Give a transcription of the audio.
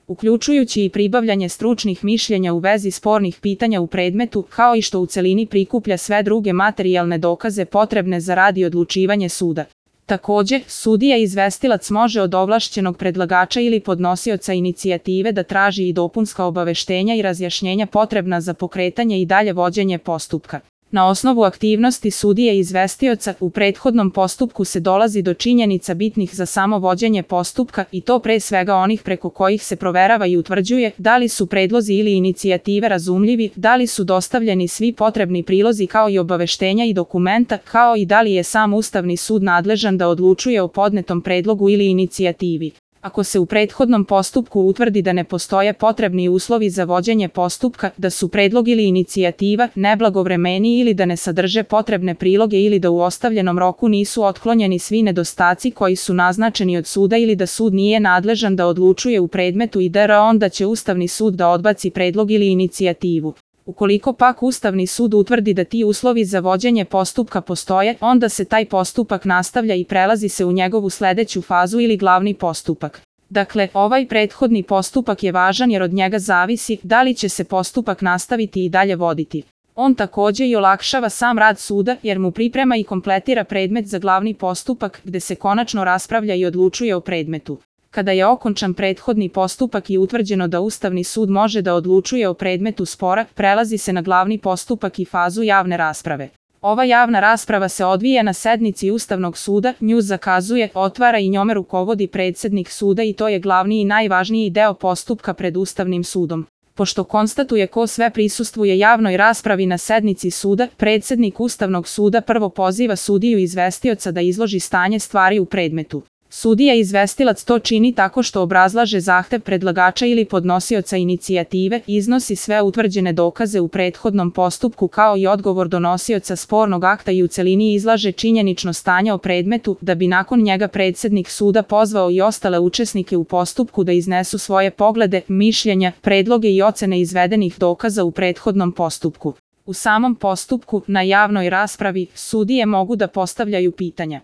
uključujući i pribavljanje stručnih mišljenja u vezi spornih pitanja u predmetu, kao i što u celini prikuplja sve druge materijalne dokaze potrebne za rad i odlučivanje suda. Također, sudija izvestilac može od ovlašćenog predlagača ili podnosioca inicijative da traži i dopunska obaveštenja i razjašnjenja potrebna za pokretanje i dalje vođenje postupka. Na osnovu aktivnosti sudije izvestioca u prethodnom postupku se dolazi do činjenica bitnih za samo vođenje postupka i to pre svega onih preko kojih se proverava i utvrđuje da li su predlozi ili inicijative razumljivi, da li su dostavljeni svi potrebni prilozi kao i obaveštenja i dokumenta, kao i da li je sam Ustavni sud nadležan da odlučuje o podnetom predlogu ili inicijativi. Ako se u prethodnom postupku utvrdi da ne postoje potrebni uslovi za vođenje postupka, da su predlog ili inicijativa neblagovremeni ili da ne sadrže potrebne priloge ili da u ostavljenom roku nisu otklonjeni svi nedostaci koji su naznačeni od suda ili da sud nije nadležan da odlučuje u predmetu itd., onda će Ustavni sud da odbaci predlog ili inicijativu. Ukoliko pak Ustavni sud utvrdi da ti uslovi za vođenje postupka postoje, onda se taj postupak nastavlja i prelazi se u njegovu sledeću fazu ili glavni postupak. Dakle, ovaj prethodni postupak je važan jer od njega zavisi da li će se postupak nastaviti i dalje voditi. On također i olakšava sam rad suda jer mu priprema i kompletira predmet za glavni postupak gde se konačno raspravlja i odlučuje o predmetu. Kada je okončan prethodni postupak i utvrđeno da Ustavni sud može da odlučuje o predmetu spora, prelazi se na glavni postupak i fazu javne rasprave. Ova javna rasprava se odvija na sednici Ustavnog suda, nju zakazuje, otvara i njome rukovodi predsednik suda i to je glavni i najvažniji deo postupka pred Ustavnim sudom. Pošto konstatuje ko sve prisustvuje javnoj raspravi na sednici suda, predsednik Ustavnog suda prvo poziva sudiju izvestioca da izloži stanje stvari u predmetu. Sudija izvestilac to čini tako što obrazlaže zahtev predlagača ili podnosioca inicijative, iznosi sve utvrđene dokaze u prethodnom postupku kao i odgovor donosioca spornog akta i u celini izlaže činjenično stanje o predmetu, da bi nakon njega predsednik suda pozvao i ostale učesnike u postupku da iznesu svoje poglede, mišljenja, predloge i ocene izvedenih dokaza u prethodnom postupku. U samom postupku, na javnoj raspravi, sudije mogu da postavljaju pitanja.